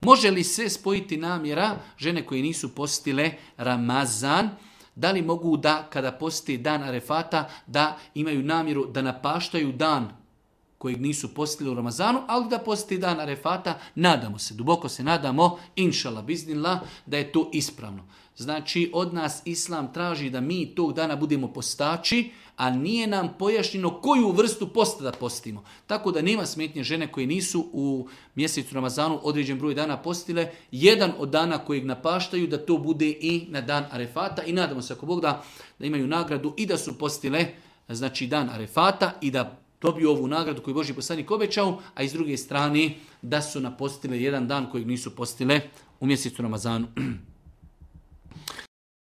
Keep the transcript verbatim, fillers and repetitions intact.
Može li se spojiti namjera žene koje nisu postile Ramazan? Da li mogu da, kada posti dan Arefata, da imaju namjeru da napaštaju dan kojeg nisu postili u Ramazanu, ali da posti dan Arefata? Nadamo se, duboko se nadamo, inšala biznillah, da je to ispravno. Znači, od nas Islam traži da mi tog dana budemo postači, a nije nam pojašnjeno koju vrstu posta da postimo. Tako da nema smetnje žene koje nisu u mjesecu Ramazanu određen broj dana postile, jedan od dana kojeg napaštaju, da to bude i na dan Arefata. I nadamo se, ako Bog da, da imaju nagradu i da su postile, znači, dan Arefata i da dobiju ovu nagradu koju Božji poslanik obećao, a iz druge strane da su napostile jedan dan kojeg nisu postile u mjesecu Ramazanu.